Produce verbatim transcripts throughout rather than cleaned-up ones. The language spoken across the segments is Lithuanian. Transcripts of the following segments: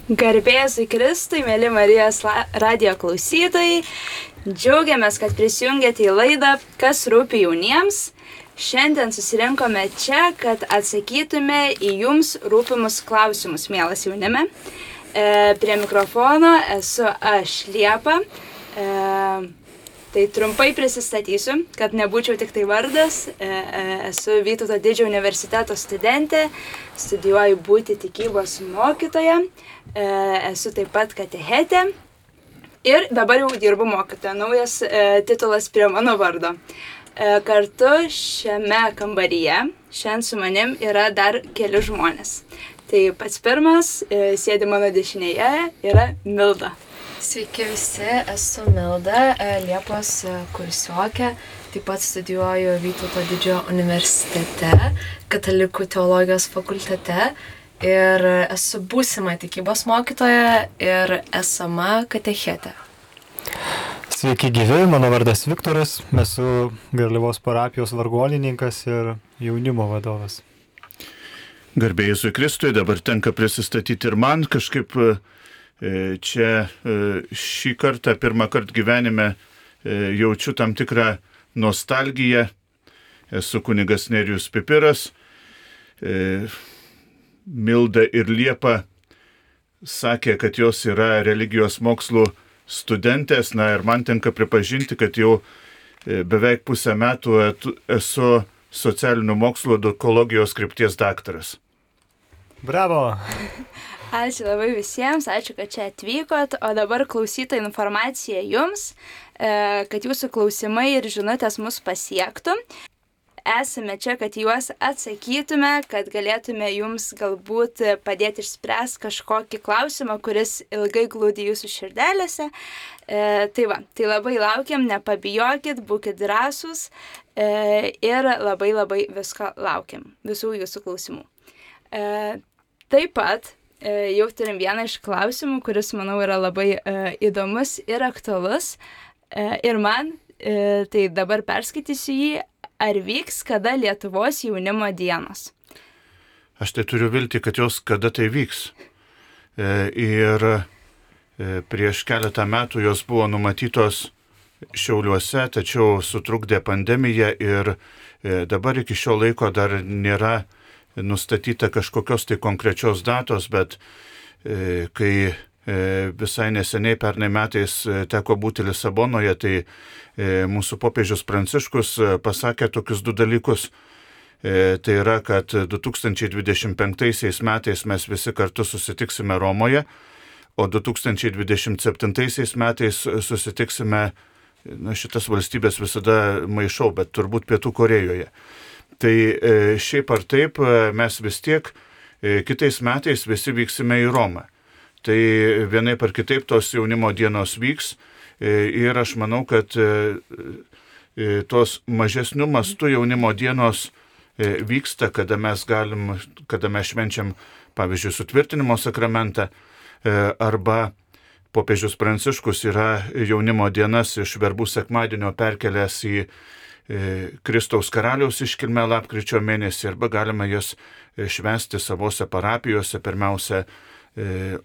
Garbėsiu Kristui, mėly Marijos radijo klausytojai. Džiaugiamės, kad prisijungėte į laidą Kas rūpi jauniems. Šiandien susirinkome čia, kad atsakytume į jums rūpimus klausimus, mielas jaunime. E, prie mikrofono esu aš, Liepa. E, tai trumpai prisistatysiu, kad nebūčiau tik tai vardas. E, e, esu Vytauto Didžiojo universiteto studentė, studijuoju būti tikybos mokytoja. E, esu taip pat katechetė ir dabar jau dirbu mokytoja, naujas e, titulas prie mano vardo. E, kartu šiame kambaryje šiandien su manim yra dar keli žmonės. Tai pats pirmas, e, sėdi mano dešinėje, yra Milda. Sveiki visi, esu Milda, Liepos kursiokė, taip pat studijuoju Vytauto Didžiojo universitete, katalikų teologijos fakultete. Ir esu būsima tikybos mokytoja ir esama katechetė. Sveiki gyvi, mano vardas Viktoras, esu Garliavos parapijos vargonininkas ir jaunimo vadovas. Garbė Jėzui Kristui, dabar tenka prisistatyti ir man kažkaip čia šį kartą, pirmą kartą gyvenime jaučiu tam tikrą nostalgiją. Esu kunigas Nerijus Pipiras. Milda ir Liepa sakė, kad jos yra religijos mokslų studentės, na ir man tenka pripažinti, kad jau beveik pusę metų esu socialinių mokslų edukologijos krypties daktaras. Bravo! Ačiū labai visiems, ačiū, kad čia atvykot, o dabar klausyta informacija jums, kad jūsų klausimai ir žinutės mus pasiektų. Esame čia, kad juos atsakytume, kad galėtume jums galbūt padėti išspręsti kažkokį klausimą, kuris ilgai glūdi jūsų širdelėse. E, tai va, tai labai laukiam, nepabijokit, būkit drąsūs e, ir labai labai visko laukiam, visų jūsų klausimų. E, taip pat e, jau turim vieną iš klausimų, kuris, manau, yra labai e, įdomus ir aktualus. E, ir man, e, tai dabar perskaitysiu jį. Ar vyks kada Lietuvos jaunimo dienos? Aš tai turiu viltį, kad jos kada tai vyks. E, ir e, prieš keletą metų jos buvo numatytos Šiauliuose, tačiau sutrukdė pandemija ir e, dabar iki šio laiko dar nėra nustatyta kažkokios tai konkrečios datos, bet e, kai e, visai neseniai pernai metais teko būti Lisabonoje, tai mūsų popiežius Pranciškus pasakė tokius du dalykus. Tai yra, kad du tūkstančiai dvidešimt penktaisiais metais mes visi kartu susitiksime Romoje, o du tūkstančiai dvidešimt septintaisiais metais susitiksime, na šitas valstybės visada maišau, bet turbūt Pietų Korėjoje. Tai šiaip ar taip mes vis tiek kitais metais visi vyksime į Romą. Tai vienaip ar kitaip tos jaunimo dienos vyks. Ir aš manau, kad tos mažesnių mastų jaunimo dienos vyksta, kada mes galim, kada mes švenčiam, pavyzdžiui, sutvirtinimo sakramentą, arba popiežius Pranciškus yra jaunimo dienas iš verbų sekmadienio perkelęs į Kristaus karaliaus iškilmę lapkričio mėnesį, arba galima jas švęsti savose parapijose, pirmiausia,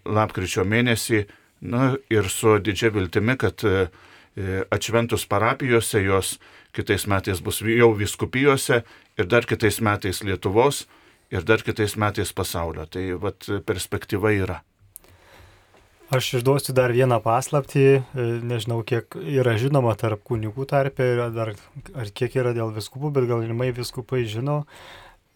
lapkričio mėnesį. Na ir su didžia viltimi, kad atšventus parapijose jos kitais metais bus jau vyskupijose ir dar kitais metais Lietuvos ir dar kitais metais pasaulio. Tai vat perspektyva yra. Aš išduosiu dar vieną paslaptį, nežinau kiek yra žinoma tarp kunigų tarpe, dar, ar kiek yra dėl viskupų, bet galimai viskupai žino.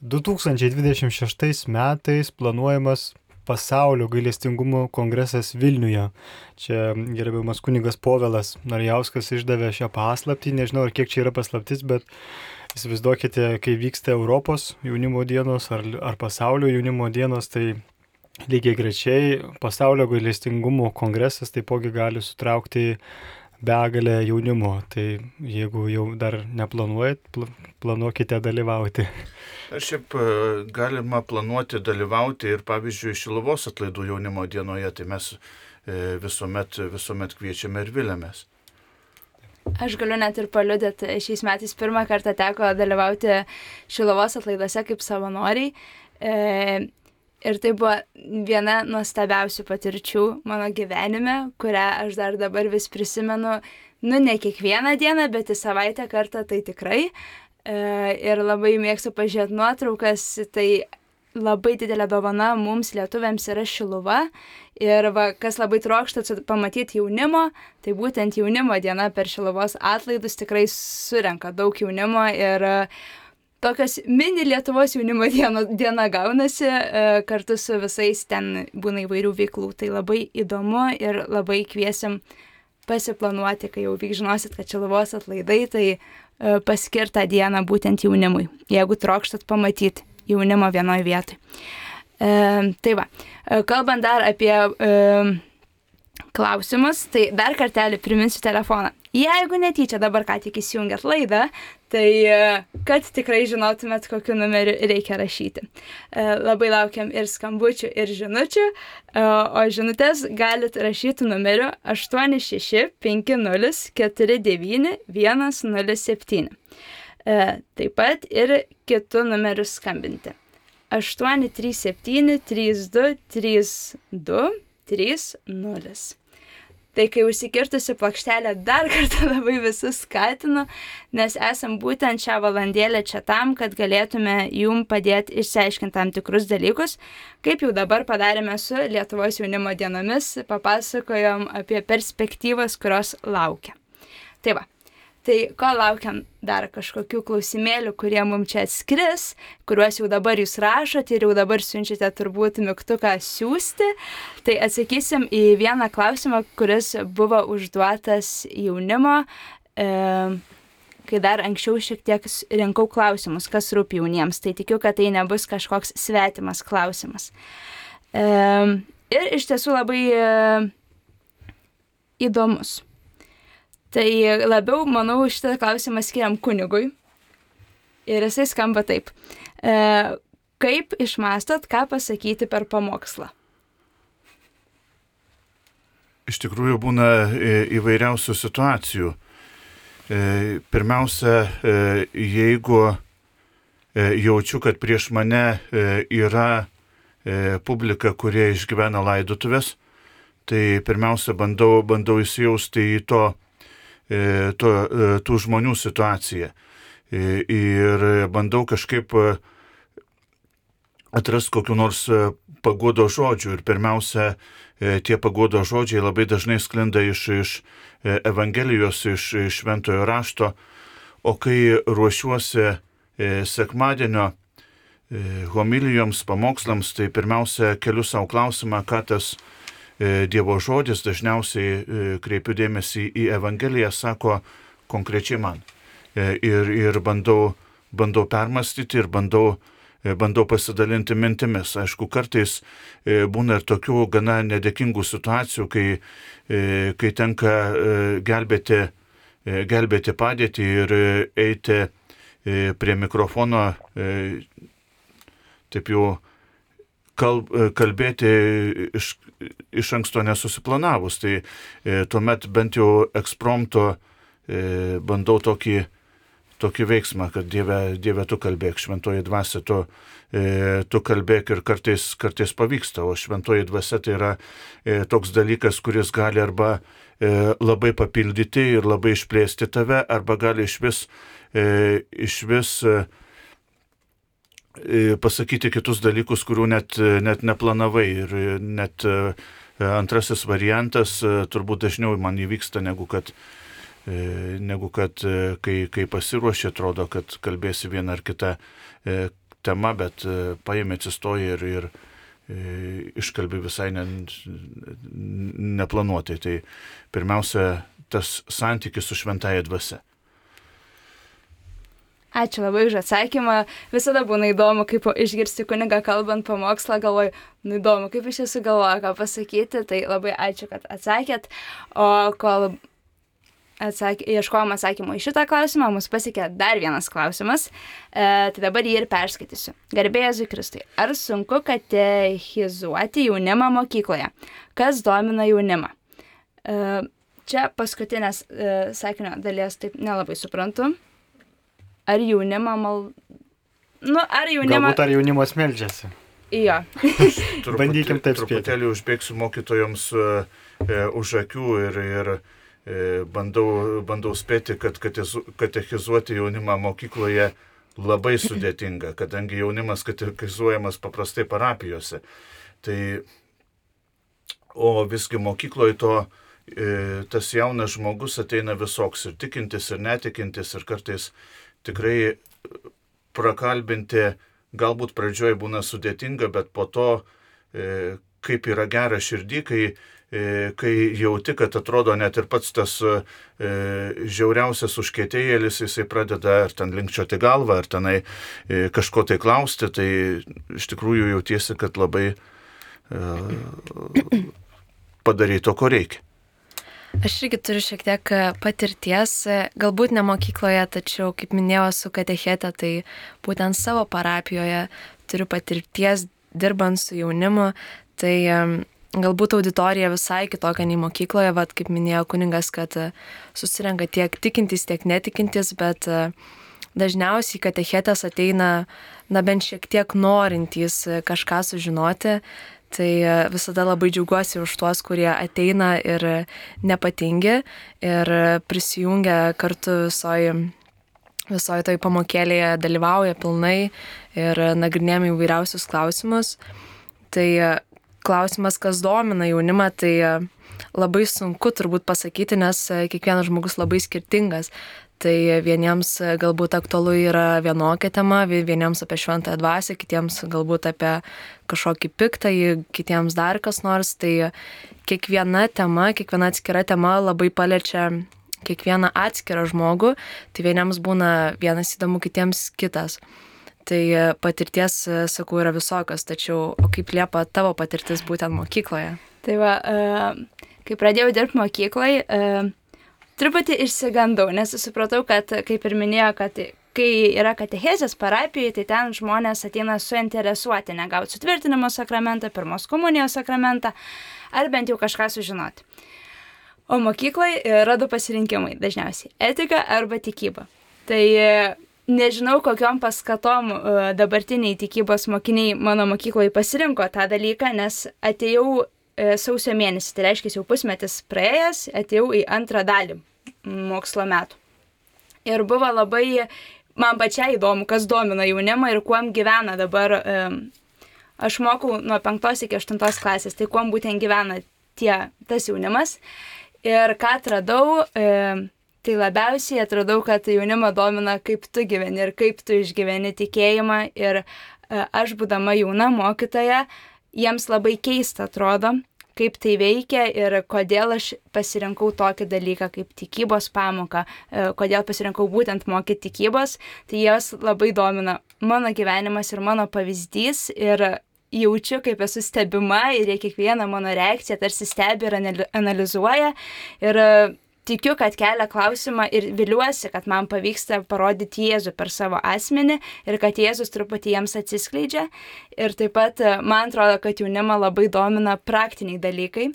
du tūkstančiai dvidešimt šeštais metais planuojamas Pasaulio gailestingumo kongresas Vilniuje. Čia gerbiamas kunigas Povilas Narjauskas išdavė šią paslaptį, nežinau ar kiek čia yra paslaptis, bet įsivaizduokite, kai vyksta Europos jaunimo dienos ar, ar pasaulio jaunimo dienos, tai lygiai grečiai Pasaulio gailestingumo kongresas taipogi gali sutraukti begalę jaunimo. Tai jeigu jau dar neplanuojat, planuokite dalyvauti. Ar šiaip galima planuoti dalyvauti ir, pavyzdžiui, Šiluvos atlaidų jaunimo dienoje, tai mes visuomet, visuomet kviečiame ir viliamės. Aš galiu net ir paliudyti, šiais metais pirmą kartą teko dalyvauti Šiluvos atlaiduose kaip savanoriai. E, Ir tai buvo viena nuostabiausių patirčių mano gyvenime, kurią aš dar dabar vis prisimenu, nu ne kiekvieną dieną, bet į savaitę kartą tai tikrai. Ir labai mėgstu pažiūrėti nuotraukas, tai labai didelė dovana mums lietuviams yra Šiluva. Ir va, kas labai trokšta pamatyti jaunimo, tai būtent jaunimo diena per Šiluvos atlaidus tikrai surenka daug jaunimo ir tokios mini Lietuvos jaunimo diena, diena gaunasi, kartu su visais ten būna įvairių veiklų. Tai labai įdomu ir labai kviesim pasiplanuoti, kai jau vyk žinosit, kad Šiluvos atlaidai, tai paskirtą dieną būtent jaunimui, jeigu trokštat pamatyti jaunimo vienoje vietoje. E, tai va, kalbant dar apie e, klausimus, tai dar kartelį priminsiu telefoną. Jeigu netyčia dabar ką tik įsijungiat laidą, tai kad tikrai žinotumėt, kokiu numeriu reikia rašyti. Labai laukiam ir skambučių, ir žinučių, o žinutės galit rašyti numeriu aštuoni šeši penki nulis keturi devyni vienas nulis septyni. Taip pat ir kitų numerių skambinti. aštuoni trys septyni trys du trys du trys nulis. Tai kai užsikirtusi plokštelę dar kartą labai visus skatinu, nes esam būtent šią valandėlę čia tam, kad galėtume jum padėti išsiaiškinti tam tikrus dalykus, kaip jau dabar padarėme su Lietuvos jaunimo dienomis, papasakojom apie perspektyvas, kurios laukia. Tai va. Tai ko laukiam dar kažkokių klausimėlių, kurie mums čia atskris, kuriuos jau dabar jūs rašote ir jau dabar siunčiate turbūt mygtuką siųsti, tai atsakysim į vieną klausimą, kuris buvo užduotas jaunimo, e, kai dar anksčiau šiek tiek rinkau klausimus, kas rūpi jauniems, tai tikiu, kad tai nebus kažkoks svetimas klausimas. E, ir iš tiesų labai e, įdomus. Tai labiau, manau, šitą klausimą skiriam kunigui. Ir jisai skamba taip. E, kaip išmastot, ką pasakyti per pamokslą? Iš tikrųjų būna įvairiausių situacijų. E, pirmiausia, e, jeigu e, jaučiu, kad prieš mane e, yra e, publika, kurie išgyvena laidotuvės, tai pirmiausia bandau, bandau įsijausti į to, To, tų žmonių situaciją ir bandau kažkaip atrasti kokiu nors paguodo žodžių ir pirmiausia, tie paguodo žodžiai labai dažnai sklinda iš, iš Evangelijos, iš, iš Šventojo rašto, o kai ruošiuosi sekmadienio homilijoms, pamokslams, tai pirmiausia keliu savo klausimą, ką tas Dievo žodis, dažniausiai kreipiu dėmesį į Evangeliją, sako konkrečiai man. Ir, ir bandau, bandau permastyti ir bandau, bandau pasidalinti mintimis. Aišku, kartais būna ir tokių gana nedėkingų situacijų, kai, kai tenka gelbėti, gelbėti padėtį ir eiti prie mikrofono, taip jau kalbėti iš, iš anksto nesusiplanavus. Tai e, tuomet bent jau ekspromto e, bandau tokį, tokį veiksmą, kad Dieve, Dieve tu kalbėk, šventoji dvasia tu, e, tu kalbėk ir kartais, kartais pavyksta, o šventoji dvasia tai yra e, toks dalykas, kuris gali arba e, labai papildyti ir labai išplėsti tave, arba gali iš vis, e, iš vis e, pasakyti kitus dalykus, kurių net, net neplanavai. Ir net antrasis variantas turbūt dažniau man įvyksta, negu kad, negu kad kai, kai pasiruoši, atrodo, kad kalbėsi vieną ar kitą temą, bet paėmė, atsistoji ir, ir iškalbi visai ne, neplanuotai. Tai pirmiausia, tas santykis su šventąja dvasia. Ačiū labai už atsakymą. Visada būna įdomu, kaip išgirsti kunigą kalbant pamokslą, galvoju, nu įdomu, kaip iš jūsų galvoja, ką pasakyti, tai labai ačiū, kad atsakėt. O kol atsak... ieškojom atsakymų į šitą klausimą, mus pasiekė dar vienas klausimas, e, tai dabar jį ir perskaitysiu. Garbė Jėzui Kristui, ar sunku katechizuoti jaunimą mokykloje? Kas domina jaunimą? E, čia paskutinės e, sakinio dalies taip nelabai suprantu. Ar jaunimą mal... Nu, ar jaunimą... Galbūt ar jaunimas meldžiasi. Jo. Truputį, Bandykim taip spėti. Truputėlį užbėgsiu mokytojoms e, už akių ir, ir e, bandau, bandau spėti, kad katechizuoti jaunimą mokykloje labai sudėtinga, kadangi jaunimas katechizuojamas paprastai parapijose. Tai, o visgi mokykloje to e, tas jaunas žmogus ateina visoks ir tikintis, ir netikintis, ir kartais tikrai prakalbinti galbūt pradžioje būna sudėtinga, bet po to, e, kaip yra gera širdį, kai, e, kai jauti, kad atrodo net ir pats tas e, žiauriausias užkietėjėlis, jisai pradeda ar ten linkčioti galvą, ar tenai e, kažko tai klausti, tai iš tikrųjų jautiesi, kad labai e, padarai to, ko reikia. Aš irgi turiu šiek tiek patirties, galbūt ne mokykloje, tačiau, kaip minėjau, su katechete, tai būtent savo parapijoje turiu patirties dirbant su jaunimu, tai galbūt auditorija visai kitokia nei mokykloje, vat, kaip minėjo kuningas, kad susirenka tiek tikintys, tiek netikintis, bet dažniausiai katechetės ateina, na bent šiek tiek norintys kažką sužinoti. Tai visada labai džiaugiuosi už tuos, kurie ateina ir nepatingi ir prisijungia kartu visoje visoj toj pamokėlėje, dalyvauja pilnai ir nagrinėjame įvairiausius klausimus. Tai klausimas, kas domina jaunimą, tai labai sunku turbūt pasakyti, nes kiekvienas žmogus labai skirtingas. Tai vieniems galbūt aktualu yra vienokia tema, vieniems apie šventąją dvasią, kitiems galbūt apie kažkokį piktąjį, kitiems dar kas nors. Tai kiekviena tema, kiekviena atskira tema labai paliečia kiekvieną atskirą žmogų. Tai vieniems būna vienas įdomu, kitiems kitas. Tai patirties, sakau, yra visokios, tačiau o kaip Liepa tavo patirtis būtent mokykloje? Tai va, kai pradėjau dirbti mokykloje, truputį išsigandau, nes supratau, kad, kaip ir minėjo, kad kai yra katechezės parapijoje, tai ten žmonės ateina suinteresuoti, negauti sutvirtinimo sakramentą, pirmos komunijos sakramentą, ar bent jau kažką sužinoti. O mokykloje yra du pasirinkimai dažniausiai - etika arba tikyba. Tai nežinau, kokiom paskatom dabartiniai tikybos mokiniai mano mokykloje pasirinko tą dalyką, nes atėjau sausio mėnesį, tai reiškia jau pusmetis praėjęs, atėjau į antrą dalį mokslo metų. Ir buvo labai, man pačiai įdomu, kas domina jaunimą ir kuom gyvena dabar. Aš mokau nuo penktos iki aštuntos klasės, tai kuom būtent gyvena tie, tas jaunimas. Ir ką atradau, tai labiausiai atradau, kad jaunimą domina, kaip tu gyveni ir kaip tu išgyveni tikėjimą. Ir aš, būdama jauna mokytoja, jiems labai keista atrodo, kaip tai veikia ir kodėl aš pasirinkau tokį dalyką kaip tikybos pamoką, kodėl pasirinkau būtent mokyti tikybos, tai jos labai domina mano gyvenimas ir mano pavyzdys ir jaučiu, kaip esu stebima ir kiekvieną mano reakciją tarsi stebi ir analizuoja ir tikiu, kad kelia klausimą ir viliuosi, kad man pavyksta parodyti Jėzų per savo asmenį ir kad Jėzus truputį jiems atsiskleidžia. Ir taip pat man atrodo, kad jaunimą labai domina praktiniai dalykai.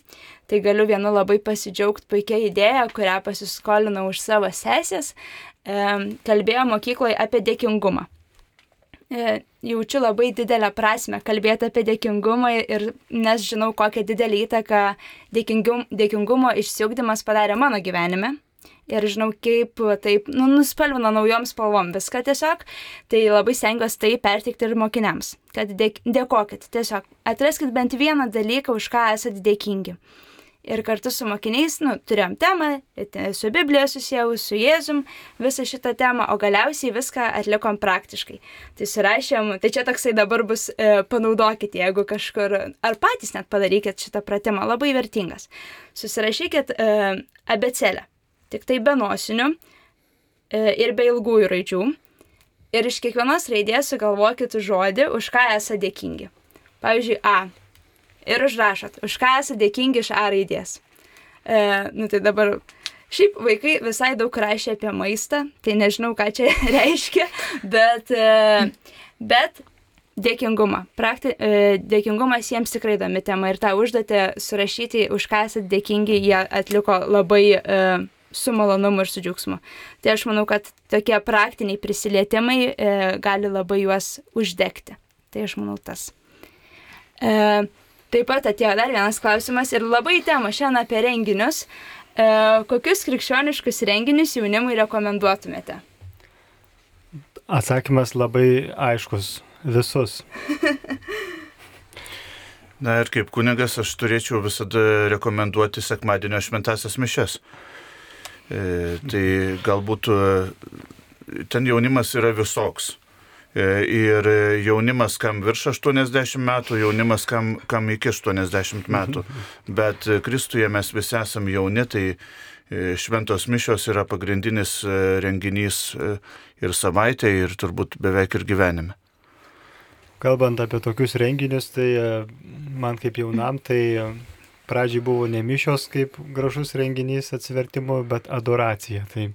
Tai galiu vienu labai pasidžiaugti puikia idėja, kurią pasiskolinau už savo sesės. Kalbėjo mokykloje apie dėkingumą. Jaučiu labai didelę prasmę kalbėti apie dėkingumą ir nes žinau, kokią didelį įtaką dėkingum, dėkingumo išsiugdymas padarė mano gyvenime. Ir žinau, kaip taip nu, nuspalvino naujom spalvom viską tiesiog. Tai labai stengiuosi tai perteikti ir mokiniams. Kad dėk, dėkokit, tiesiog atraskit bent vieną dalyką, už ką esate dėkingi. Ir kartu su mokiniais, nu, turėjom temą, su Biblija susijau, su Jėzum, visą šitą temą, o galiausiai viską atlikom praktiškai. Tai surašėm, tai čia toksai dabar bus, e, panaudokit, jeigu kažkur, ar patys net padarykit šitą pratimą, labai vertingas. Susirašykit e, abėcėlę, tik tai be nosinių e, ir be ilgųjų raidžių. Ir iš kiekvienos raidės sugalvokit žodį, už ką esate dėkingi. Pavyzdžiui, A. Ir užrašot, už ką esate dėkingi iš A raidės. E, nu tai dabar, šiaip vaikai visai daug rašė apie maistą, tai nežinau, ką čia reiškia, bet, e, bet dėkingumą. Prakti, e, dėkingumas jiems tikrai įdomi tema ir tą užduotį surašyti, už ką esate dėkingi, jie atliko labai e, su malonumu ir su džiaugsmu. Tai aš manau, kad tokie praktiniai prisilietimai e, gali labai juos uždegti. Tai aš manau tas. E, taip pat atėjo dar vienas klausimas ir labai tema šiandien apie renginius. E, kokius krikščioniškus renginius jaunimui rekomenduotumėte? Atsakymas labai aiškus. Visus. Na ir kaip kunigas aš turėčiau visada rekomenduoti sekmadienio šventąsias mišias. E, tai galbūt ten jaunimas yra visoks. E, ir jaunimas kam virš aštuoniasdešimt metų, jaunimas kam, kam iki aštuoniasdešimt metų. Bet Kristuje mes visi esame jauni, tai šventos mišios yra pagrindinis renginys ir savaitė, ir turbūt beveik ir gyvenime. Kalbant apie tokius renginius, tai man kaip jaunam, tai pradžiai buvo ne mišios kaip gražus renginys atsivertimo, bet adoracija. Tai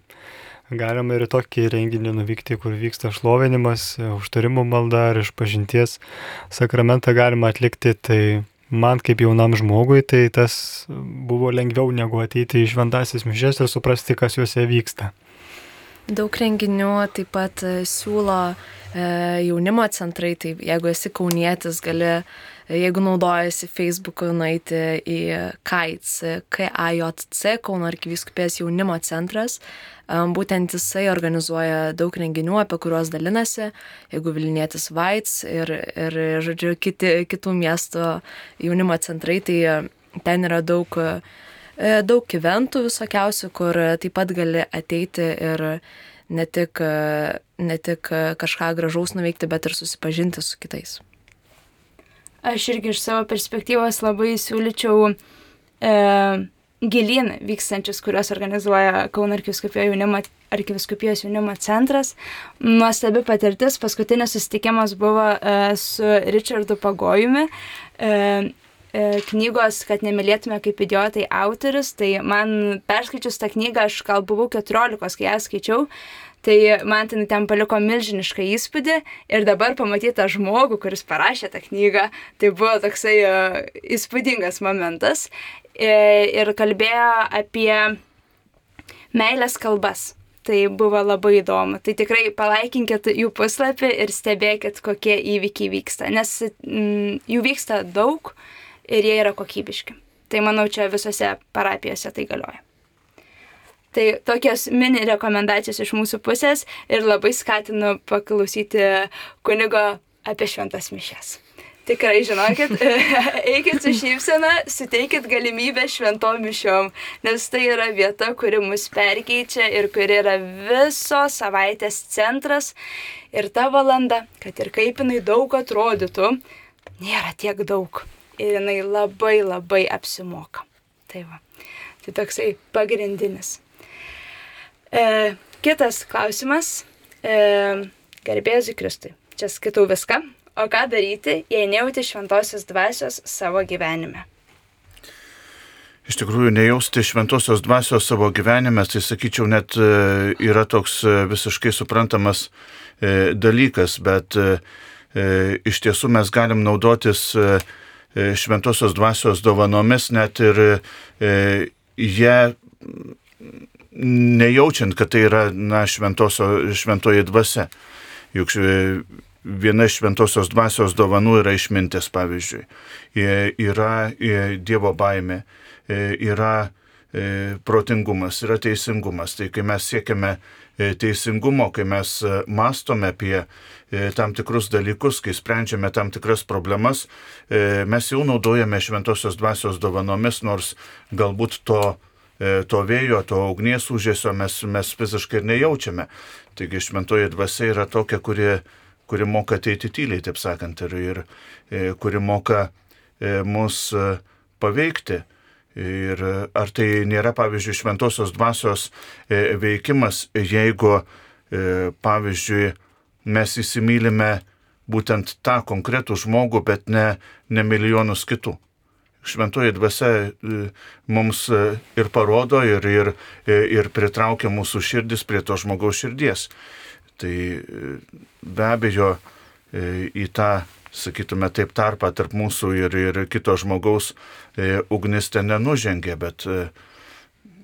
galima ir tokį renginį nuvykti, kur vyksta šlovinimas, užtarimo malda ar išpažinties sakramentą galima atlikti. Tai man kaip jaunam žmogui, tai tas buvo lengviau negu ateiti į šventąsias mišias ir suprasti, kas juose vyksta. Daug renginių taip pat siūlo e, jaunimo centrai, tai jeigu esi kaunietis, gali, jeigu naudojasi Facebook'u, nueiti į KAIC, K A J C, Kauno arkivyskupijos jaunimo centras. E, būtent jisai organizuoja daug renginių, apie kuriuos dalinasi, jeigu Vilnietis Vaits ir, ir žodžiu, kiti, kitų miestų jaunimo centrai, tai ten yra daug daug eventų visokiausių, kur taip pat gali ateiti ir ne tik, ne tik kažką gražaus nuveikti, bet ir susipažinti su kitais. Aš irgi iš savo perspektyvos labai siūlyčiau e, gilyn vykstančius, kuriuos organizuoja Kauno arkivyskupijos jaunimo, arkivyskupijos jaunimo centras. Nuostabi patirtis, paskutinis susitikimas buvo e, su Richardu Pagojumi, e, knygos, kad nemylėtume kaip idiotai autorius, tai man perskaičius tą knygą, aš gal buvau keturiolikos, kai ją skaičiau, tai man ten, ten paliko milžinišką įspūdį ir dabar pamatyti tą žmogų, kuris parašė tą knygą, tai buvo toksai uh, įspūdingas momentas e, ir kalbėjo apie meilės kalbas. Tai buvo labai įdomu. Tai tikrai palaikinkit jų puslapį ir stebėkit, kokie įvykiai vyksta, nes mm, jų vyksta daug ir jie yra kokybiški. Tai manau, čia visose parapijose tai galioja. Tai tokios mini rekomendacijos iš mūsų pusės ir labai skatinu paklausyti kunigo apie šventas mišias. Tikrai žinokit, eikit su šypsena, suteikit galimybę šventom mišiom, nes tai yra vieta, kuri mus perkeičia ir kuri yra visos savaitės centras. Ir ta valanda, kad ir kaip jinai daug atrodytų, nėra tiek daug. Ir jinai labai labai apsimoka. Tai va, tai toksai pagrindinis. E, kitas klausimas. E, Garbėzui Kristui. Čia skaitau viską. O ką daryti, jei nejauti šventosios dvasios savo gyvenime? Iš tikrųjų, nejausti šventosios dvasios savo gyvenime, tai sakyčiau, net yra toks visiškai suprantamas dalykas, bet iš tiesų mes galim naudotis šventosios dvasios dovanomis, net ir e, jie nejaučiant, kad tai yra na, šventoji dvasia. Juk viena iš šventosios dvasios dovanų yra išmintis, pavyzdžiui. Yra Dievo baimė, yra protingumas, yra teisingumas. Tai kai mes siekiame teisingumo, kai mes mąstome apie tam tikrus dalykus, kai sprendžiame tam tikras problemas, mes jau naudojame šventosios dvasios dovanomis, nors galbūt to, to vėjo, to ugnies užėsio mes, mes fiziškai ir nejaučiame. Taigi šventoji dvasia yra tokia, kuri, kuri moka ateiti tyliai, taip sakant, ir, ir kuri moka mus paveikti. Ir ar tai nėra, pavyzdžiui, šventosios dvasios veikimas, jeigu, pavyzdžiui, mes įsimylime būtent tą konkretų žmogų, bet ne, ne milijonus kitų. Šventoji dvasia mums ir parodo, ir, ir, ir pritraukia mūsų širdis prie to žmogaus širdies. Tai be abejo į tą, sakytume taip, tarpą tarp mūsų ir, ir kito žmogaus e, ugnis ten nenužengė, bet,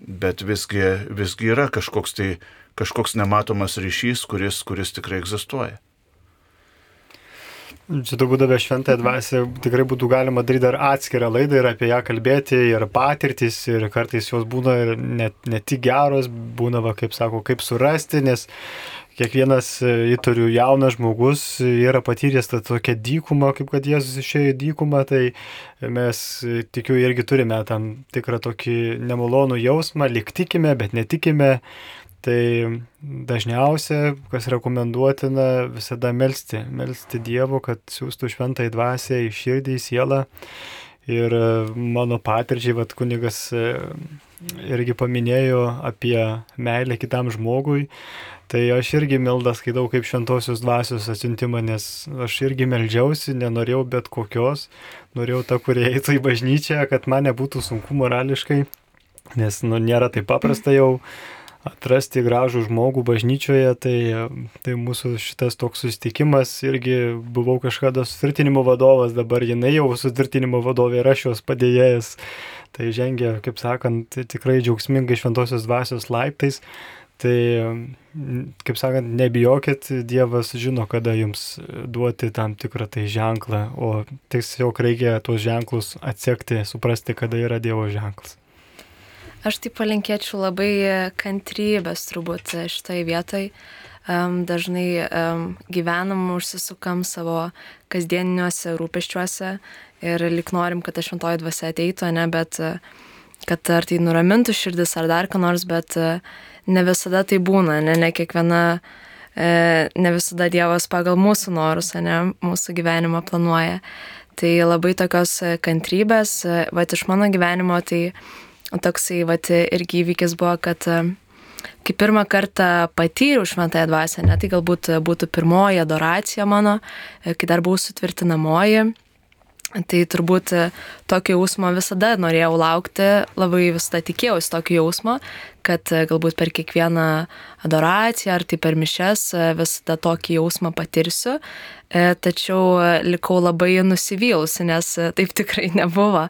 bet visgi, visgi yra kažkoks, tai, kažkoks nematomas ryšys, kuris, kuris tikrai egzistuoja. Čia turbūt apie šventąją dvasią tikrai būtų galima daryti dar atskirą laidą ir apie ją kalbėti, ir patirtis, ir kartais jos būna ir ne, ne tik geros, būna, va, kaip sako, kaip surasti, nes kiekvienas įtariu jaunas žmogus yra patyręs tą tokią dykumą, kaip kad Jėzus išėjo į dykumą, tai mes tikiu irgi turime tam tikrą tokį nemalonų jausmą, lyg tikime, bet netikime. Tai dažniausia, kas rekomenduotina, visada melsti, melsti Dievo, kad siūstų šventąją dvasią į širdį, į sielą. Ir mano patirčiai, vat kunigas irgi paminėjo apie meilę kitam žmogui. Tai aš irgi meldą skaitau kaip šventosios dvasios atsiuntimą, nes aš irgi meldžiausi, nenorėjau bet kokios, norėjau tą, kurie eitų į bažnyčią, kad man nebūtų sunku morališkai, nes nu, nėra taip paprasta jau atrasti gražų žmogų bažnyčioje, tai, tai mūsų šitas toks susitikimas, irgi buvau kažkada sutvirtinimo vadovas, dabar jinai jau sutvirtinimo vadovė ir aš jos padėjėjas, tai žengia, kaip sakant, tikrai džiaugsmingai šventosios dvasios laiptais. Tai, kaip sakant, nebijokit, Dievas žino, kada jums duoti tam tikrą tai ženklą, o tiesiog reikia tuos ženklus atsekti, suprasti, kada yra Dievo ženklas. Aš tai palinkėčiau labai kantrybės turbūt šitoje vietoje. Um, dažnai um, gyvenam, užsisukam savo kasdieniniuose rūpeščiuose ir lyg norim, kad ta šventoji dvasia ateitų, ne, bet kad ar tai nuramintų širdis ar dar ką nors, bet ne visada tai būna, ne, ne kiekviena, ne visada Dievas pagal mūsų norus, ne, mūsų gyvenimą planuoja. Tai labai tokios kantrybės, vat iš mano gyvenimo, tai toksai vat irgi įvykis buvo, kad kai pirmą kartą patyriau šventąją dvasią, ne, tai galbūt būtų pirmoji adoracija mano, kai dar buvau sutvirtinamoji. Tai turbūt tokio jausmo visada norėjau laukti, labai visada tikėjausi tokio jausmo, kad galbūt per kiekvieną adoraciją ar tai per mišias visada tokį jausmą patirsiu, tačiau likau labai nusivylusi, nes taip tikrai nebuvo.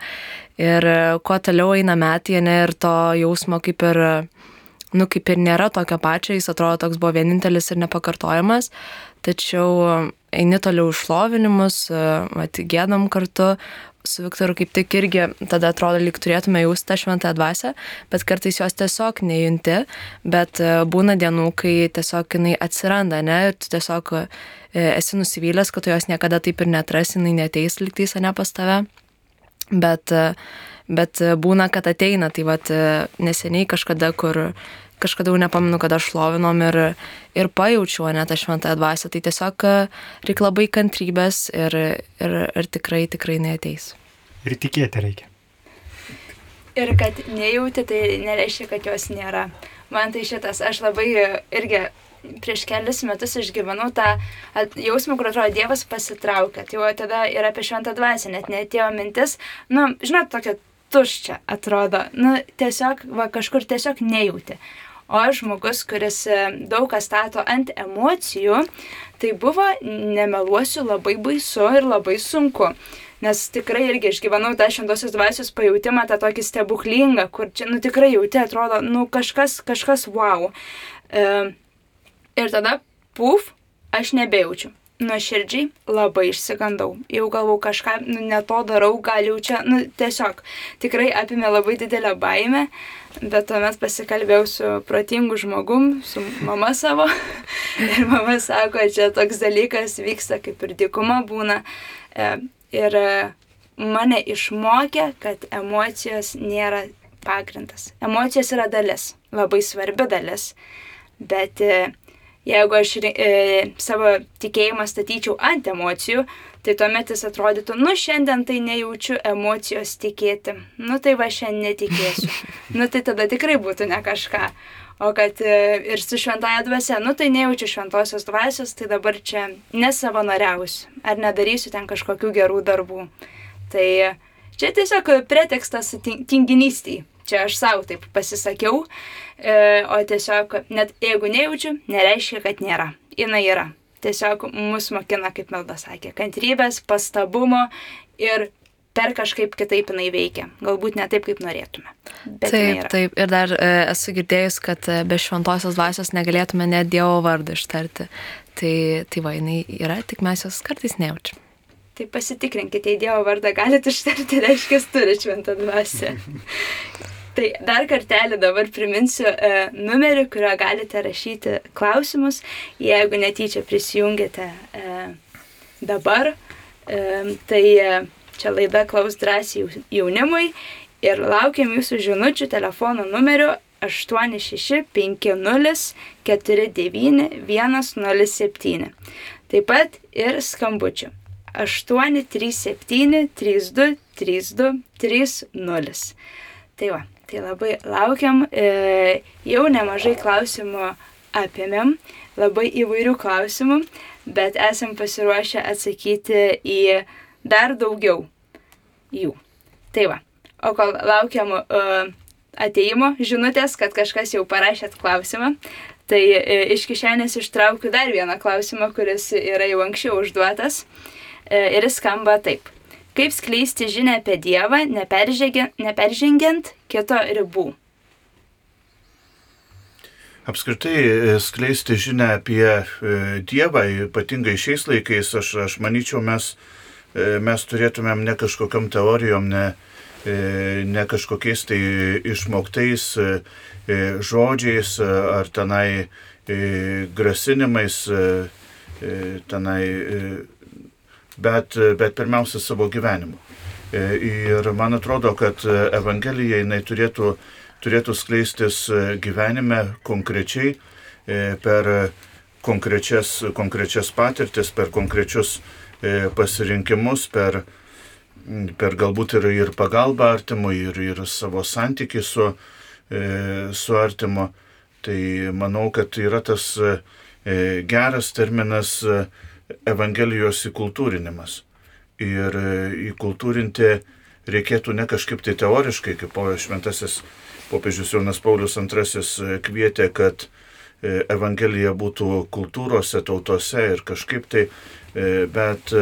Ir kuo toliau eina metai, ne, ir to jausmo kaip ir, nu, kaip ir nėra tokio pačio, jis atrodo toks buvo vienintelis ir nepakartojamas, tačiau eini toliau išlovinimus, gėdam kartu su Viktoru, kaip tik irgi tada atrodo, lyg turėtume jausti tą šventąją dvasią, bet kartais jos tiesiog nejunti, bet būna dienų, kai tiesiog jinai atsiranda, ne, ir tu tiesiog esi nusivylęs, kad tu jos niekada taip ir neatrasi, jinai neateis lygtais, ne, pas tave, bet, bet būna, kad ateina, tai vat neseniai kažkada, kur kažkada jau nepamenu, kad aš šlovinom ir, ir pajaučiau, ne, tą šventąją dvasią, tai tiesiog reikia labai kantrybės ir, ir, ir tikrai, tikrai neateis. Ir tikėti reikia. Ir kad nejauti, tai nereiškia, kad jos nėra. Man tai šitas, aš labai irgi prieš kelius metus išgyvenau tą jausmą, kur atrodo Dievas pasitraukia. Tai jau tada ir apie šventą dvasią net neatėjo mintis, nu, žinot, tokia tuščia atrodo, nu, tiesiog, va, kažkur tiesiog nejauti. O aš žmogus, kuris daug ką stato ant emocijų, tai buvo, nemeluosiu, labai baisu ir labai sunku. Nes tikrai irgi išgyvenau tą šventosios dvasios pajautimą, tą tokį stebuklingą, kur čia, nu, tikrai jauti, atrodo, nu, kažkas, kažkas wow. E, ir tada, puf, aš nebejaučiu. Nuoširdžiai labai išsigandau. Jau galvau kažką, nu, ne to darau, gal jau čia, nu, tiesiog tikrai apimė labai didelę baimę, bet tuomet pasikalbėjau su protingu žmogum, su mama savo, ir mama sako, čia toks dalykas vyksta, kaip ir dykuma būna, ir mane išmokė, kad emocijos nėra pagrindas. Emocijos yra dalis, labai svarbi dalis, bet jeigu aš e, savo tikėjimą statyčiau ant emocijų, tai tuomet jis atrodytų, nu šiandien tai nejaučiu emocijos tikėti, nu tai va šiandien netikėsiu, nu tai tada tikrai būtų ne kažką. O kad e, ir su šventąja dvasia, nu tai nejaučiu šventosios dvasios, tai dabar čia nesavanoriausiu, ar nedarysiu ten kažkokių gerų darbų. Tai čia tiesiog pretekstas tinginystei. Čia aš savo taip pasisakiau, e, o tiesiog, net jeigu nejaučiu, nereiškia, kad nėra. Jinai yra. Tiesiog mus mokina, kaip Melda sakė, kantrybės, pastabumo ir per kažkaip kitaip jinai veikia. Galbūt ne taip, kaip norėtume. Bet taip, taip. Ir dar e, esu girdėjus, kad be šventosios dvasios negalėtume net Dievo vardą ištarti. Tai, tai va, jinai yra, tik mes jos kartais nejaučiam. tai pasitikrinkite, į Dievo vardą galite ištarti, reiškia, turi šventą dvasią. Tai dar kartelį dabar priminsiu e, numerį, kurio galite rašyti klausimus, jeigu netyčia prisijungėte e, dabar. E, tai e, čia laida Klaus drąsiai jaunimui ir laukiam jūsų žinučių telefono numeriu aštuoni šeši penki nulis keturi devyni vienas nulis septyni. Taip pat ir skambučių aštuoni trys septyni trys du trys du trys nulis. Tai va, tai labai laukiam, e, jau nemažai klausimų apėmėm, labai įvairių klausimų, bet esam pasiruošę atsakyti į dar daugiau jų. Tai va, o kol laukiam uh, ateimo žinutės, kad kažkas jau parašėt klausimą, tai e, iš kišenės ištraukiu dar vieną klausimą, kuris yra jau anksčiau užduotas e, ir jis skamba taip. Kaip skleisti žinią apie Dievą, neperžengiant, neperžengiant kito ribų? Apskritai skleisti žinią apie Dievą, ypatingai šiais laikais, aš, aš manyčiau, mes, mes turėtumėm ne kažkokiam teorijom, ne, ne kažkokiais tai išmoktais žodžiais ar tenai grasinimais, tenai, bet, bet pirmiausia savo gyvenimu. Ir man atrodo, kad Evangelija jinai turėtų turėtų skleistis gyvenime konkrečiai, per konkrečias, konkrečias patirtis, per konkrečius pasirinkimus, per, per galbūt ir, ir pagalbą artimui, ir, ir savo santykį su, su artimu. Tai manau, kad yra tas geras terminas Evangelijos įkultūrinimas. Ir įkultūrinti reikėtų ne kažkaip tai teoriškai, kaip šventasis popiežius Jonas Paulius antrasis kvietė, kad Evangelija būtų kultūrose, tautose ir kažkaip tai, bet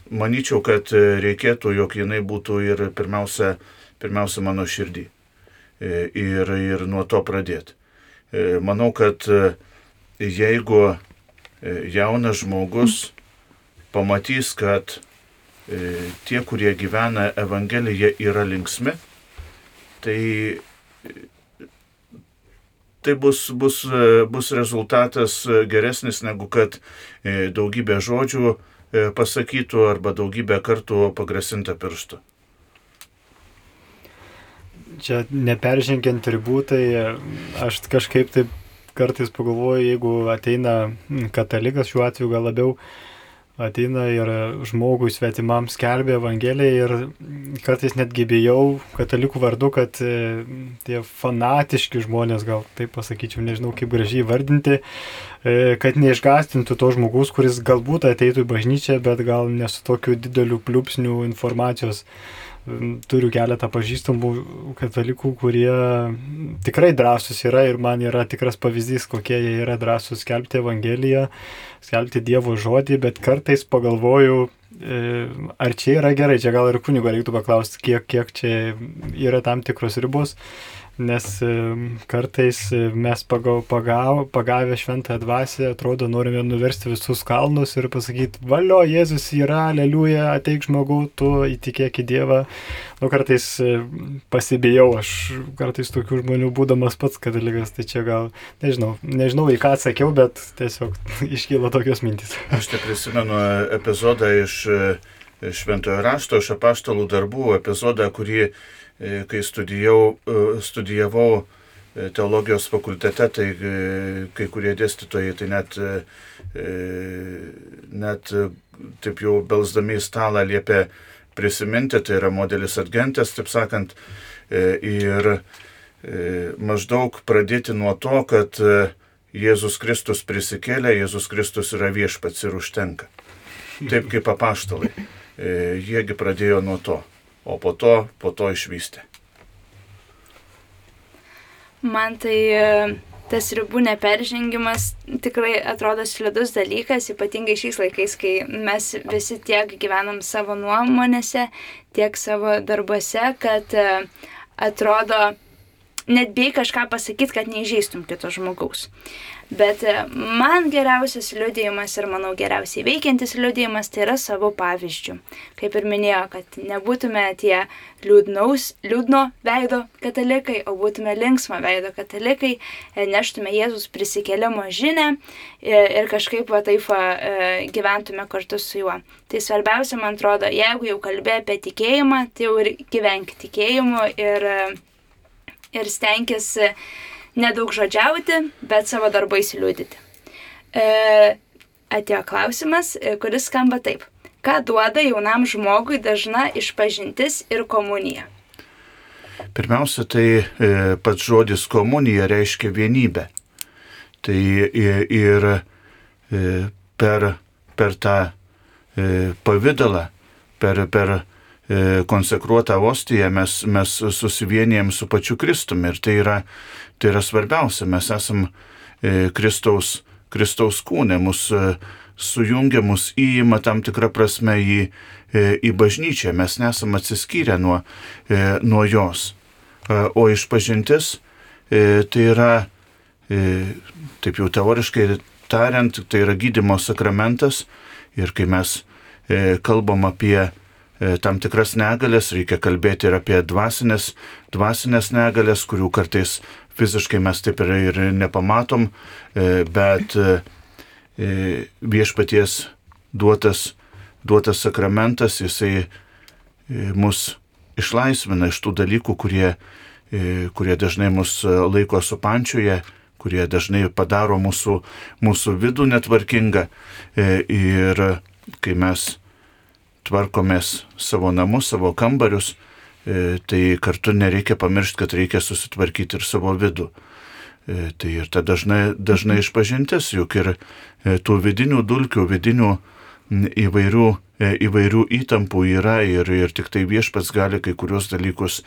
manyčiau, kad reikėtų, jog jinai būtų ir pirmiausia, pirmiausia mano širdį ir, ir nuo to pradėti. Manau, kad jeigu jaunas žmogus pamatys, kad tie, kurie gyvena Evangeliją, yra linksmi, tai, tai bus, bus, bus rezultatas geresnis negu kad daugybė žodžių pasakytų arba daugybę kartų pagrasinta pirštu. Čia neperžengiant ribų, tai aš kažkaip taip kartais pagalvoju, jeigu ateina katalikas, šiuo atveju gal labiau ateina ir žmogui svetimam skelbia Evangeliją ir kartais netgi bijau katalikų vardu, kad tie fanatiški žmonės, gal taip pasakyčiau, nežinau kaip gražiai vardinti, kad neišgąstintų to žmogus, kuris galbūt ateitų į bažnyčią, bet gal ne su tokiu dideliu pliūpsniu informacijos. Turiu keletą pažįstamų katalikų, kurie tikrai drąsus yra ir man yra tikras pavyzdys, kokie jie yra drąsus skelbti Evangeliją, skelbti Dievo žodį, bet kartais pagalvoju, ar čia yra gerai, čia gal ir kunigo reiktų paklausti, kiek, kiek čia yra tam tikros ribos, nes kartais mes pagau, pagau, pagavę šventąją dvasią, atrodo, norime nuversti visus kalnus ir pasakyti, valio, Jėzus yra, aleliuja, ateik žmogau, tu įtikėk į Dievą. Nu, kartais pasibijau, aš kartais tokių žmonių būdamas pats katalikas, tai čia gal, nežinau, nežinau į ką atsakiau, bet tiesiog iškyla tokios mintys. Aš te prisimenu epizodą iš Šventojo rašto, iš apaštalų darbų, epizodą, kurį kai studijau, studijavau teologijos fakultete, tai kai kurie dėstytojai tai net, net taip jau belsdami į stalą liepė prisiminti, tai yra modelis Adgentes, taip sakant, ir maždaug pradėti nuo to, kad Jėzus Kristus prisikėlė, Jėzus Kristus yra viešpats ir užtenka. Taip kaip apaštalai. Jiegi pradėjo nuo to. O po to, po to išvystė. Man tai tas ribų neperžengimas tikrai atrodo slidus dalykas, ypatingai šiais laikais, kai mes visi tiek gyvenam savo nuomonėse, tiek savo darbuose, kad atrodo net bijai kažką pasakyti, kad neįžeistum kito žmogaus. Bet man geriausias liudijimas ir manau geriausiai veikiantis liudijimas tai yra savo pavyzdžių. Kaip ir minėjo, kad nebūtume tie liūdnaus, liūdno veido katalikai, o būtume linksmo veido katalikai, neštume Jėzus prisikėlimo žinę ir kažkaip va taip va, gyventume kartu su juo. Tai svarbiausia, man atrodo, jeigu jau kalbė apie tikėjimą, tai jau ir gyvenk tikėjimu ir, ir stenkis nedaug žodžiauti, bet savo darbais liūdyti. E, atėjo klausimas, kuris skamba taip. Ką duoda jaunam žmogui dažna išpažintis ir komunija? Pirmiausia, tai e, pats žodis komunija reiškia vienybę. Tai ir, ir e, per, per tą e, pavydalą, per, per e, konsekruotą ostiją mes, mes susivienijam su pačiu Kristumi. Ir tai yra Tai yra svarbiausia, mes esam e, Kristaus, Kristaus kūne, mus e, sujungia, mus įima tam tikrą prasme į, e, į bažnyčią, mes nesam atsiskyrę nuo, e, nuo jos. E, o išpažintis e, tai yra, e, taip jau teoriškai tariant, tai yra gydymo sakramentas ir kai mes e, kalbam apie tam tikras negalės, reikia kalbėti ir apie dvasinės, dvasinės negalės, kurių kartais fiziškai mes taip ir, ir nepamatom, bet viešpaties duotas, duotas sakramentas, jisai mus išlaisvina iš tų dalykų, kurie, kurie dažnai mus laiko supančioje, kurie dažnai padaro mūsų, mūsų vidų netvarkingą. Ir kai mes tvarkomės savo namus, savo kambarius, tai kartu nereikia pamiršti, kad reikia susitvarkyti ir savo vidų. Tai ir ta dažnai, dažnai išpažintis, juk ir tų vidinių dulkių, vidinių įvairių, įvairių įtampų yra ir, ir tik tai viešpats gali kai kurios dalykus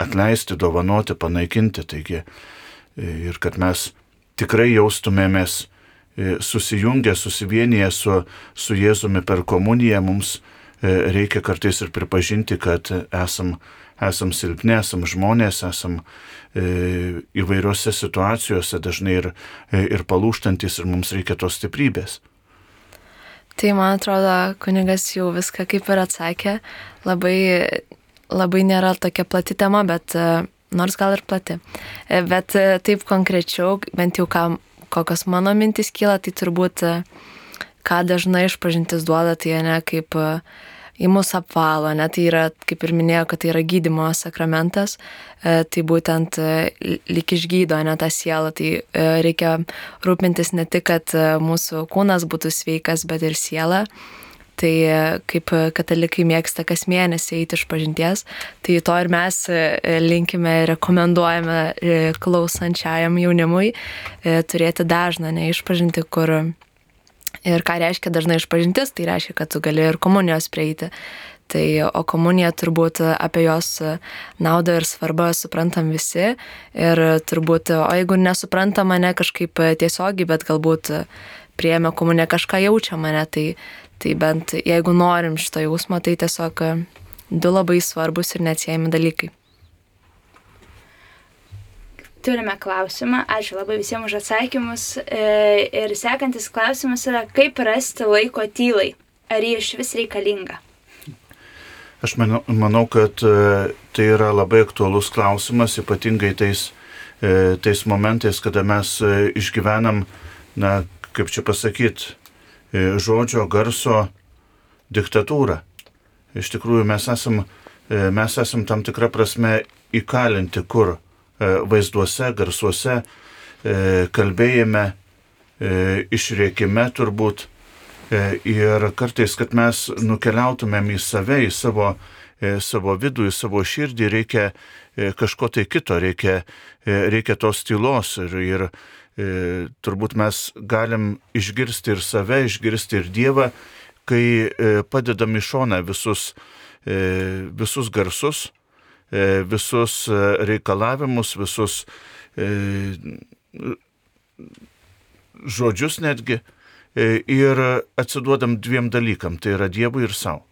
atleisti, dovanoti, panaikinti. Taigi, ir kad mes tikrai jaustumėmės susijungę, susivienyje su, su Jėzumi per komuniją, mums reikia kartais ir pripažinti, kad esam, esam silpni, esam žmonės, esam e, įvairiose situacijose dažnai ir, ir palūštantis ir mums reikia tos stiprybės. Tai man atrodo, kunigas jau viską kaip ir atsakė, labai, labai nėra tokia plati tema, bet nors gal ir plati. Bet taip konkrečiau, bent jau ką kokios mano mintis kyla, tai turbūt, ką dažnai išpažintis duoda, tai ne kaip į mus apvalo, ne, tai yra, kaip ir minėjau, kad tai yra gydymo sakramentas, tai būtent lyg išgydo, ne, tą sielą, tai reikia rūpintis ne tik, kad mūsų kūnas būtų sveikas, bet ir siela. Tai kaip katalikai mėgsta kas mėnesį eiti išpažinties, tai to ir mes linkime ir rekomenduojame klausančiajam jaunimui turėti dažną neišpažinti, kur ir ką reiškia dažnai išpažintis, tai reiškia, kad tu gali ir komunijos prieiti. Tai, o komunija turbūt apie jos naudą ir svarbą suprantam visi ir turbūt, o jeigu nesuprantam mane kažkaip tiesiogiai, bet galbūt priėmė komuniją kažką jaučia mane, tai Tai bent jeigu norim šito jausmo, tai tiesiog du labai svarbus ir neatsiejami dalykai. Turime klausimą, ačiū labai visiems už atsakymus. Ir sekantis klausimas yra, kaip rasti laiko tylai? Ar ji iš vis reikalinga? Aš manau, manau, kad tai yra labai aktualus klausimas, ypatingai tais, tais momentais, kada mes išgyvenam, na, kaip čia pasakyti, žodžio, garso diktatūrą. Iš tikrųjų, mes esam, mes esam tam tikrą prasme įkalinti, kur vaizduose, garsuose, kalbėjime, išrėkime turbūt. Ir kartais, kad mes nukeliautumėm į save, į savo, savo vidų, į savo širdį, reikia kažko tai kito, reikia, reikia tos tylos ir, ir E, turbūt mes galim išgirsti ir save, išgirsti ir Dievą, kai e, padedam į šoną visus, e, visus garsus, e, visus reikalavimus, visus e, žodžius netgi e, ir atsiduodam dviem dalykam, tai yra Dievui ir savo.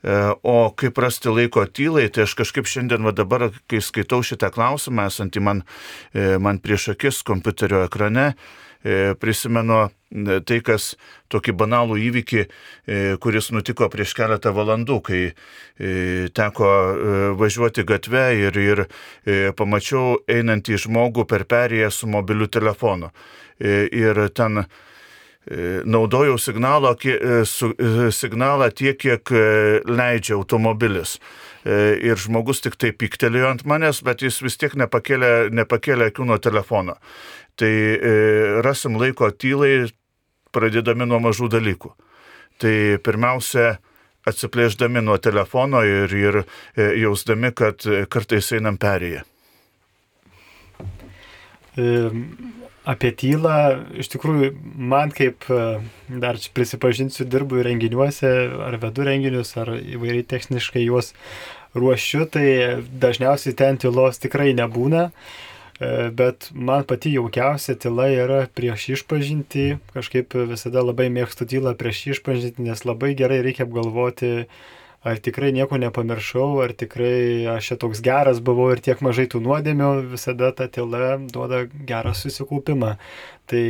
O kaip rasti laiko tylai, tai aš kažkaip šiandien va dabar, kai skaitau šitą klausimą, esantį man, man prieš akis kompiuterio ekrane, prisimenu tai, kas tokį banalų įvykį, kuris nutiko prieš keletą valandų, kai teko važiuoti gatve ir, ir pamačiau einantį žmogų per perėją su mobiliu telefonu. Ir ten naudojau signalą, signalą tiek, kiek leidžia automobilis. Ir žmogus tik tai pyktelėjo ant manęs, bet jis vis tiek nepakėlė, nepakėlė akių nuo telefono. Tai rasim laiko tylai, pradėdami nuo mažų dalykų. Tai pirmiausia, atsiplėždami nuo telefono ir, ir jausdami, kad kartais einam perėję. Apie tylą, iš tikrųjų, man kaip, dar prisipažinsiu, dirbu renginiuose, ar vedu renginius, ar įvairiai techniškai juos ruošiu, tai dažniausiai ten tylos tikrai nebūna, bet man pati jaukiausia tyla yra prieš išpažintį, kažkaip visada labai mėgstu tylą prieš išpažintį, nes labai gerai reikia apgalvoti, ar tikrai nieko nepamiršau, ar tikrai aš čia toks geras buvau ir tiek mažai tų nuodėmių, visada ta tyla duoda gerą susikaupimą. Tai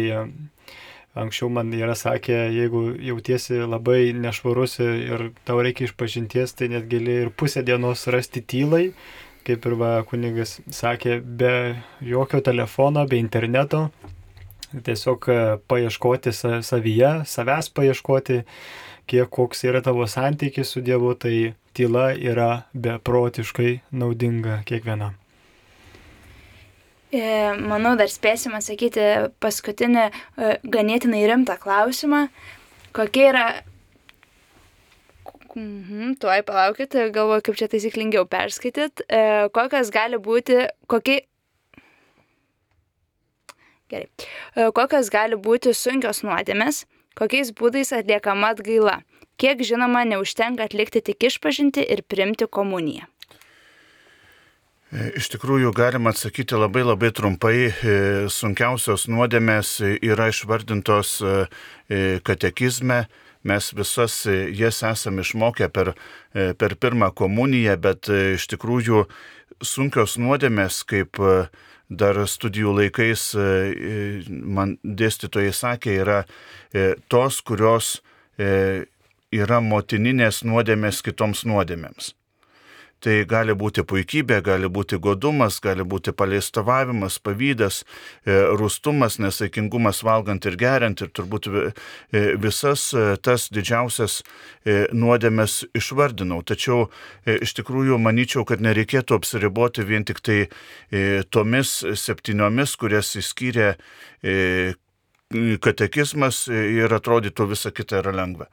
anksčiau man yra sakę, jeigu jautiesi labai nešvarus ir tau reikia išpažinties, tai net gali ir pusę dienos rasti tylai, kaip ir va kunigas sakė, be jokio telefono, be interneto, tiesiog paieškoti savyje, savęs paieškoti, kiek koks yra tavo santykis su Dievu, tai tyla yra beprotiškai naudinga kiekvienam. Manau, dar spėsim atsakyti paskutinį ganėtinai rimtą klausimą. Kokie yra... Mhm, tuoj palaukit, galvoju, kaip čia taisyklingiau perskaityt. Kokios gali būti... Kokie... Gerai. Kokios gali būti sunkios nuodėmės? Kokiais būdais atliekama atgaila? Kiek žinoma, neužtenka atlikti tik išpažinti ir priimti komuniją? Iš tikrųjų, galima atsakyti labai labai trumpai. Sunkiausios nuodėmės yra išvardintos katekizme. Mes visas jas esame išmokę per, per pirmą komuniją, bet iš tikrųjų sunkios nuodėmės, kaip dar studijų laikais man dėstytojai sakė, yra tos, kurios yra motininės nuodėmės kitoms nuodėmėms. Tai gali būti puikybė, gali būti godumas, gali būti paleistovavimas, pavydas, rūstumas, nesaikingumas valgant ir geriant ir turbūt visas tas didžiausias nuodėmes išvardinau. Tačiau iš tikrųjų manyčiau, kad nereikėtų apsiriboti vien tik tai tomis septyniomis, kurias įskyrė katekizmas ir atrodytų visa kita yra lengva.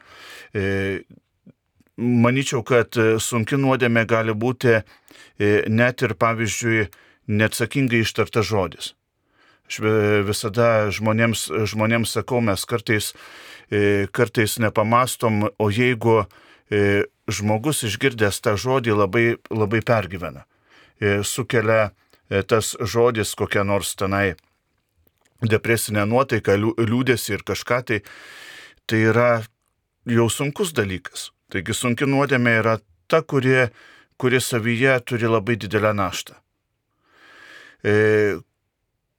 Manyčiau, kad sunki nuodėmė gali būti net ir, pavyzdžiui, neatsakingai ištartas žodis. Aš visada žmonėms, žmonėms sakau, mes kartais, kartais nepamastom, o jeigu žmogus išgirdęs tą žodį labai, labai pergyvena, sukelia tas žodis kokią nors tenai depresinę nuotaiką, liūdesį ir kažką, tai, tai yra jau sunkus dalykas. Taigi sunki nuodėmė yra ta, kuri, kuri savyje turi labai didelę naštą. E,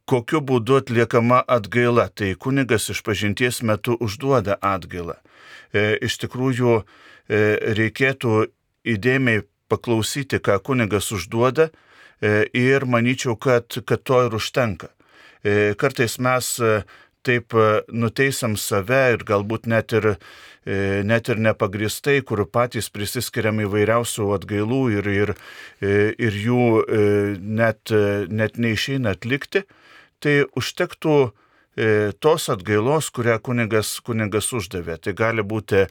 kokiu būdu atliekama atgaila? Tai kunigas išpažinties metu užduoda atgailą. E, iš tikrųjų e, reikėtų įdėmiai paklausyti, ką kunigas užduoda e, ir manyčiau, kad, kad to ir užtenka. E, kartais mes e, taip nuteisam save ir galbūt net ir net ir nepagristai, kur patys prisiskiriam įvairiausių atgailų ir, ir, ir jų net, net neišeina atlikti, tai užtektų tos atgailos, kurią kunigas, kunigas uždavė. Tai gali būti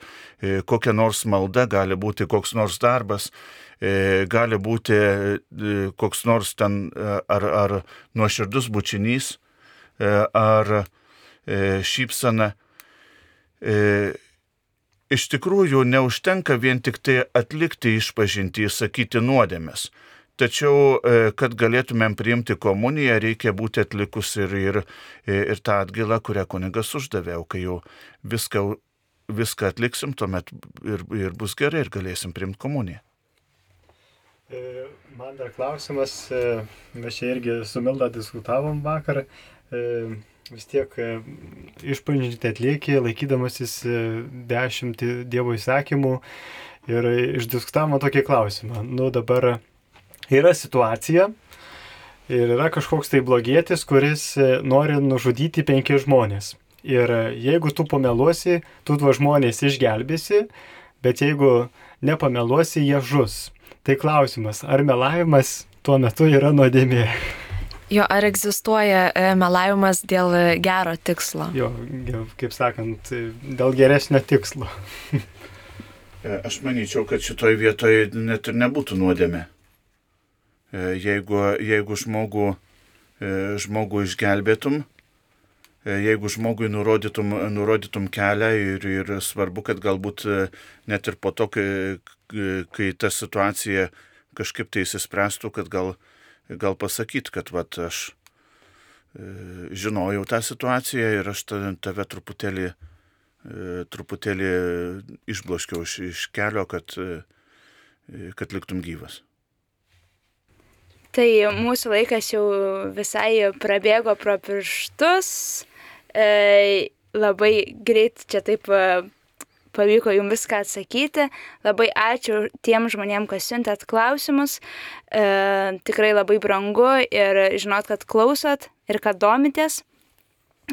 kokia nors malda, gali būti koks nors darbas, gali būti koks nors ten ar, ar nuoširdus bučinys, ar šypsena. Iš tikrųjų, neužtenka vien tik tai atlikti išpažintį, sakyti nuodėmes. Tačiau, kad galėtumėm priimti komuniją, reikia būti atlikus ir, ir, ir tą atgailą, kurią kunigas uždavė. O kai jau viską viską atliksim, tuomet ir, ir bus gerai ir galėsim priimti komuniją. Man dar klausimas, mes čia irgi su Milda diskutavom vakar, vis tiek išpažintį atlieki, laikydamasis dešimt Dievo įsakymų ir išdiskutavome tokį klausimą. Nu dabar yra situacija ir yra kažkoks tai blogietis, kuris nori nužudyti penkis žmonės. Ir jeigu tu pameluosi, tu tuos žmonės išgelbėsi, bet jeigu nepameluosi, jie žus. Tai klausimas, ar melavimas tuo metu yra nuodėmė? Jo, ar egzistuoja melavimas dėl gero tikslo? Jo, kaip sakant, dėl geresnio tikslo. Aš manyčiau, kad šitoj vietoje net ir nebūtų nuodėmė. Jeigu, jeigu žmogų, žmogų išgelbėtum, jeigu žmogui nurodytum, nurodytum kelią ir, ir svarbu, kad galbūt net ir po to, kai, kai ta situacija kažkaip tai įsispręstų, kad gal, gal pasakyt, kad vat, aš žinojau tą situaciją ir aš tave truputėlį, truputėlį išbloškiau iš, iš kelio, kad, kad liktum gyvas. Tai mūsų laikas jau visai prabėgo pro pirštus. E, labai greit čia taip pavyko jums viską atsakyti. Labai ačiū tiem žmonėm, kas siuntėt klausimus. E, tikrai labai brangu ir žinot, kad klausot ir kad domitės.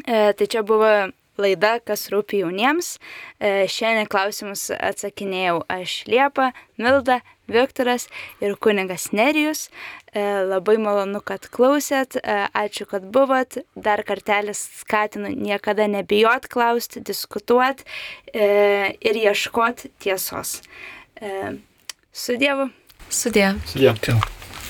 E, tai čia buvo laida, kas rūpi jauniems. E, šiandien klausimus atsakinėjau aš, Liepa, Milda, Viktoras ir kunigas Nerijus. E, labai malonu, kad klausėt, e, ačiū, kad buvot. Dar kartelis skatinu niekada nebijot klausti, diskutuot e, ir ieškot tiesos. E, su Dievu. Sudie. Sudie.